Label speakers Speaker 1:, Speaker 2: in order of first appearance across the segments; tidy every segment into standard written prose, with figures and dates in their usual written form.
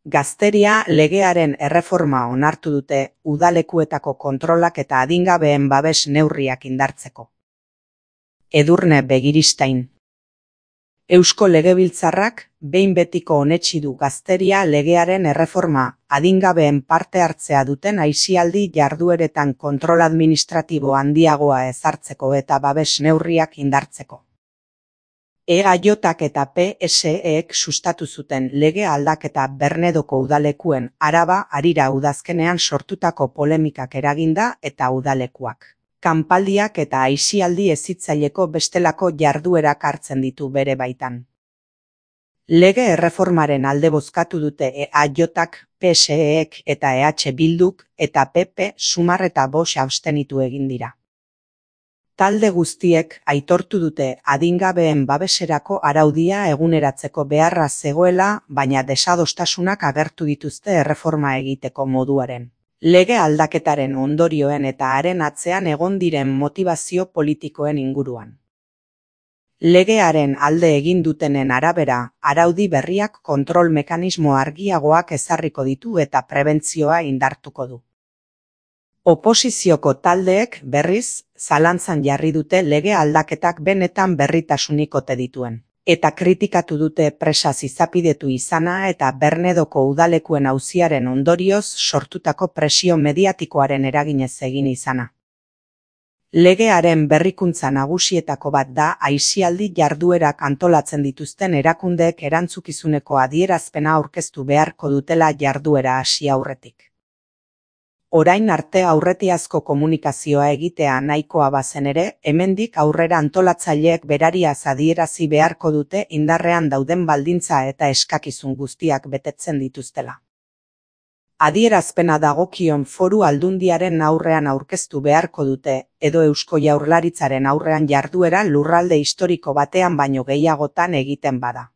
Speaker 1: Gazteria legearen erreforma onartu dute udalekuetako kontrolak eta adingabeen babes neurriak indartzeko. Edurne Begiristain. Eusko Legebiltzarrak behin betiko onetsi du gazteria legearen erreforma adingabeen parte hartzea duten aisialdi jardueretan kontrol administratibo handiagoa ezartzeko eta babes neurriak indartzeko. EAJak eta PSEek sustatu zuten lege aldaketa Bernedoko udalekuen Araba harira udazkenean sortutako polemikak eraginda eta udalekuak kanpaldiak eta aisialdi hezitzaileko bestelako jarduerak hartzen ditu bere baitan. Lege erreformaren alde bozkatu dute EAJak, PSEek eta EH Bilduk eta PP sumar eta 5 abstenitu egin dira. Talde guztiek aitortu dute adingabeen babeserako araudia eguneratzeko beharra zegoela, baina desadostasunak agertu dituzte erreforma egiteko moduaren, lege aldaketaren ondorioen eta haren atzean egon diren motivazio politikoen inguruan. Legearen alde egin dutenen arabera, araudi berriak kontrol mekanismo argiagoak ezarriko ditu eta prebentzioa indartuko du. Oposizioko taldeek berriz, zalantzan jarri dute lege aldaketak benetan berritasunik ote dituen, eta kritikatu dute presaz izapidetu izana eta Bernedoko udalekuen auziaren ondorioz sortutako presio mediatikoaren eraginez egin izana. Legearen berrikuntza nagusietako bat da aisialdi jarduerak antolatzen dituzten erakundeek erantzukizuneko adierazpena aurkeztu beharko dutela jarduera hasi aurretik. Orain arte aurretiazko komunikazioa egitea nahikoa bazen ere, hemendik aurrera antolatzaileek berariaz adierazi beharko dute indarrean dauden baldintza eta eskakizun guztiak betetzen dituztela. Adierazpena dagokion foru aldundiaren aurrean aurkeztu beharko dute, edo Eusko Jaurlaritzaren aurrean jarduera lurralde historiko batean baino gehiagotan egiten bada.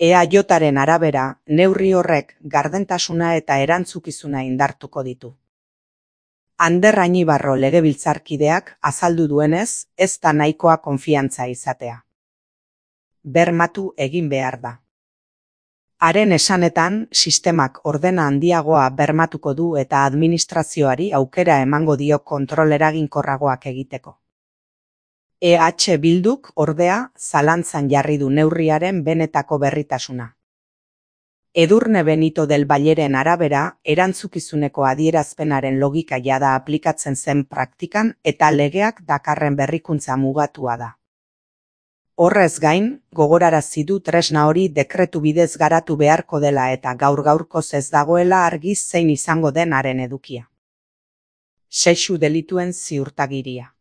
Speaker 1: EAJaren arabera, neurri horrek gardentasuna eta erantzukizuna indartuko ditu. Ander Añibarro legebiltzarkideak azaldu duenez, ez da nahikoa konfiantza izatea. Bermatu egin behar da. Haren esanetan, sistemak ordena handiagoa bermatuko du eta administrazioari aukera emango dio kontrol eraginkorragoak egiteko. EH Bilduk, ordea, zalantzan jarri du neurriaren benetako berritasuna. Edurne Benito del Valleren arabera, erantzukizuneko adierazpenaren logika jada aplikatzen zen praktikan eta legeak dakarren berrikuntza mugatua da. Horrez gain, gogorarazi du tresna hori dekretu bidez garatu beharko dela eta gaur-gaurkoz ez dagoela argi zein izango den haren edukia. Sexu delituen ziurtagiria.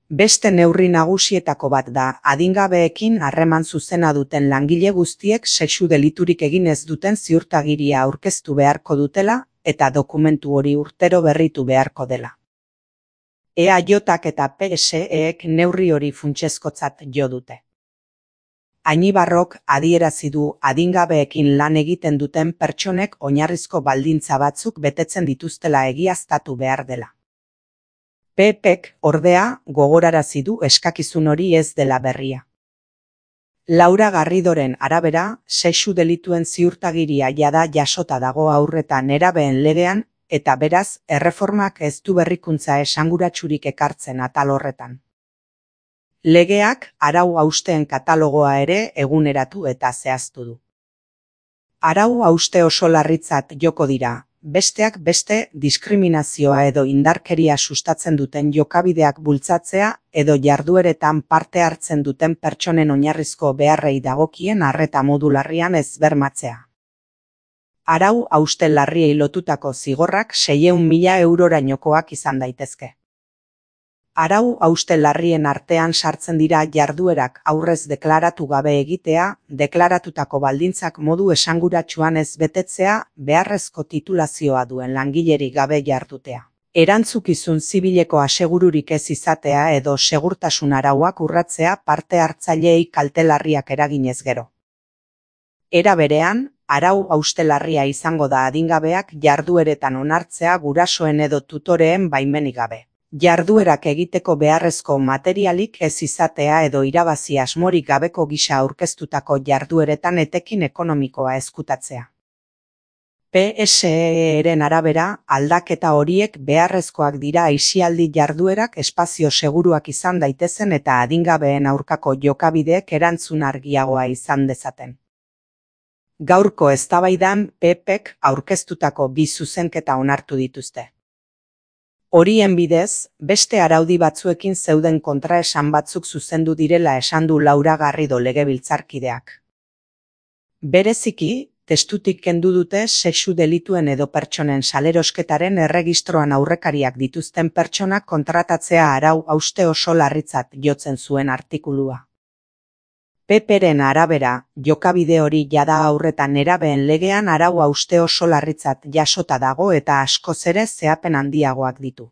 Speaker 1: Beste neurri nagusietako bat da, adingabeekin harreman zuzena duten langile guztiek sexu deliturik egin ez duten ziurtagiria aurkeztu beharko dutela eta dokumentu hori urtero berritu beharko dela. EAJak eta PSEek neurri hori funtsezkotzat jo dute. Añibarrok adierazi du adingabeekin lan egiten duten pertsonek oinarrizko baldintza batzuk betetzen dituztela egiaztatu behar dela. PPek, ordea, gogorarazi du eskakizun hori ez dela berria. Laura Garridoren arabera, sexu delituen ziurtagiria jada jasota dago aurreta nerabeen legean, eta beraz, erreformak ez du berrikuntza esanguratsurik ekartzen atal horretan. Legeak arau hausteen katalogoa ere eguneratu eta zehaztu du. Arau hauste oso larritzat joko dira, besteak beste diskriminazioa edo indarkeria sustatzen duten jokabideak bultzatzea edo jardueretan parte hartzen duten pertsonen oinarrizko beharrei dagokien arreta modu larrian ez bermatzea. Arau hauste larriei lotutako zigorrak 600.000 eurorainokoak izan daitezke. Arau hauste larrien artean sartzen dira jarduerak aurrez deklaratu gabe egitea, deklaratutako baldintzak modu esanguratsuan ez betetzea, beharrezko titulazioa duen langilerik gabe jardutea. Erantzukizun zibileko asegururik ez izatea edo segurtasun arauak urratzea parte hartzaileei kalte larriak eraginez gero. Era berean, arau hauste larria izango da adingabeak jardueretan onartzea gurasoen edo tutoreen baimenik gabe. Jarduerak egiteko beharrezko materialik ez izatea edo irabazi asmorik gabeko gisa aurkeztutako jardueretan etekin ekonomikoa ezkutatzea. PSE-ren arabera, aldaketa horiek beharrezkoak dira aisialdi jarduerak espazio seguruak izan daitezen eta adingabeen aurkako jokabideek erantzun argiagoa izan dezaten. Gaurko eztabaidan PPek aurkeztutako 2 zuzenketa onartu dituzte. Horien bidez, beste araudi batzuekin zeuden kontraesan batzuk zuzendu direla esan du Laura Garrido legebiltzarkideak. Bereziki, testutik kendu dute sexu delituen edo pertsonen salerosketaren erregistroan aurrekariak dituzten pertsonak kontratatzea arau hauste oso larritzat jotzen zuen artikulua. PPren arabera, jokabide hori jada aurretan nerabeen legean arau hauste oso larritzat jasota dago eta askoz ere zehapen handiagoak ditu.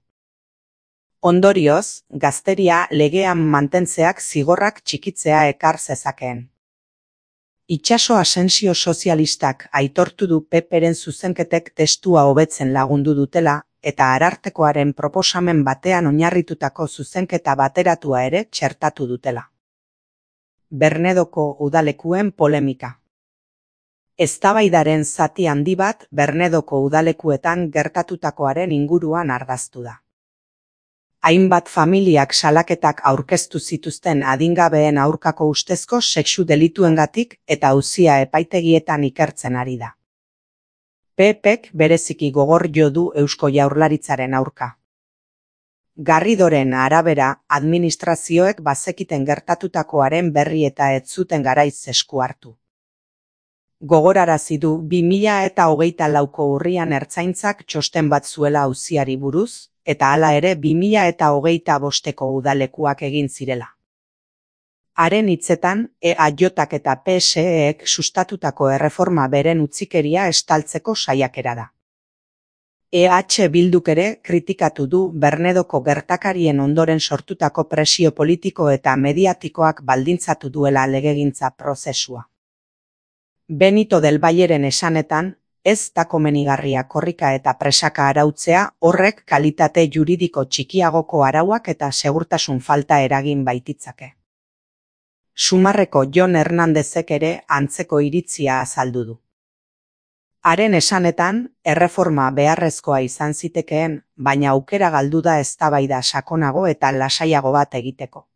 Speaker 1: Ondorioz, gazteria legean mantentzeak zigorrak txikitzea ekar zezakeen. Itxaso Asensio sozialistak aitortu du PPren zuzenketek testua hobetzen lagundu dutela eta Arartekoaren proposamen batean oinarritutako zuzenketa bateratua ere txertatu dutela. Bernedoko udalekuen polemika. Eztabaidaren zati handi bat Bernedoko udalekuetan gertatutakoaren inguruan ardaztu da. Hainbat familiak salaketak aurkeztu zituzten adingabeen aurkako ustezko sexu delituengatik eta auzia epaitegietan ikertzen ari da. PPek bereziki gogor jo du Eusko Jaurlaritzaren aurka. Garridoren arabera, administrazioek bazekiten gertatutakoaren berri eta ez zuten garaiz esku hartu. Gogorarazi du 2024ko urrian Ertzaintzak txosten bat zuela auziari buruz, eta hala ere 2025ko udalekuak egin zirela. Haren hitzetan, EAJak eta PSEek sustatutako erreforma beren utzikeria estaltzeko saiakera da. EH Bilduk ere kritikatu du Bernedoko gertakarien ondoren sortutako presio politiko eta mediatikoak baldintzatu duela legegintza prozesua. Benito del Valleren esanetan, ez da komenigarria korrika eta presaka arautzea, horrek kalitate juridiko txikiagoko arauak eta segurtasun falta eragin baititzake. Sumarreko Jon Hernandezek ere antzeko iritzia azaldu du. Haren esanetan, erreforma beharrezkoa izan zitekeen, baina aukera galdu da eztabaida sakonago eta lasaiago bat egiteko.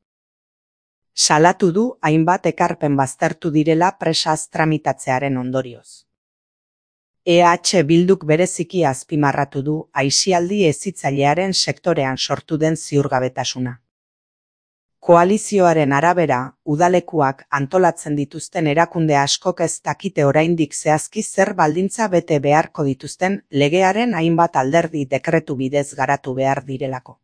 Speaker 1: Salatu du hainbat ekarpen baztertu direla presaz tramitatzearen ondorioz. EH Bilduk bereziki azpimarratu du aisialdi hezitzailearen sektorean sortu den ziurgabetasuna. Koalizioaren arabera, udalekuak antolatzen dituzten erakunde askok ez dakite oraindik zehazki zer baldintza bete beharko dituzten legearen hainbat alderdi dekretu bidez garatu behar direlako.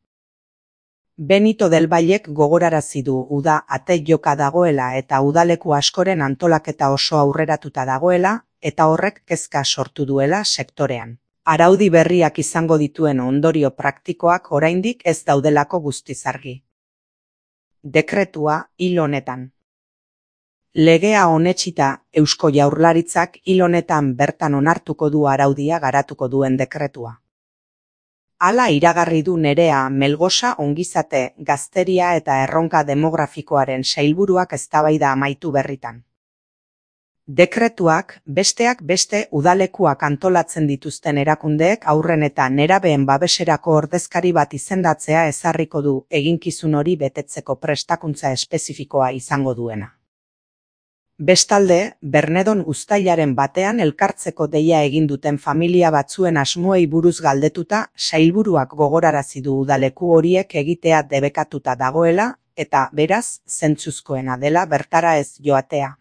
Speaker 1: Benito del Vallek gogorarazi du uda ate joka dagoela eta udaleku askoren antolaketa oso aurreratuta dagoela, eta horrek kezka sortu duela sektorean. Araudi berriak izango dituen ondorio praktikoak oraindik ez daudelako guztiz argi. Dekretua hil honetan. Legea onetsita Eusko Jaurlaritzak hil honetan bertan onartuko du araudia garatuko duen dekretua. Hala iragarri du Nerea Melgosa ongizate, gazteria eta erronka demografikoaren sailburuak eztabaida amaitu berritan. Dekretuak, besteak beste udalekuak antolatzen dituzten erakundeek haurren eta nerabeen babeserako ordezkari bat izendatzea ezarriko du eginkizun hori betetzeko prestakuntza espezifikoa izango duena. Bestalde, Bernedon uztailaren batean elkartzeko deia egin duten familia batzuen asmoei buruz galdetuta, sailburuak gogorarazi du udaleku horiek egitea debekatuta dagoela, eta beraz, zentzuzkoena dela bertara ez joatea.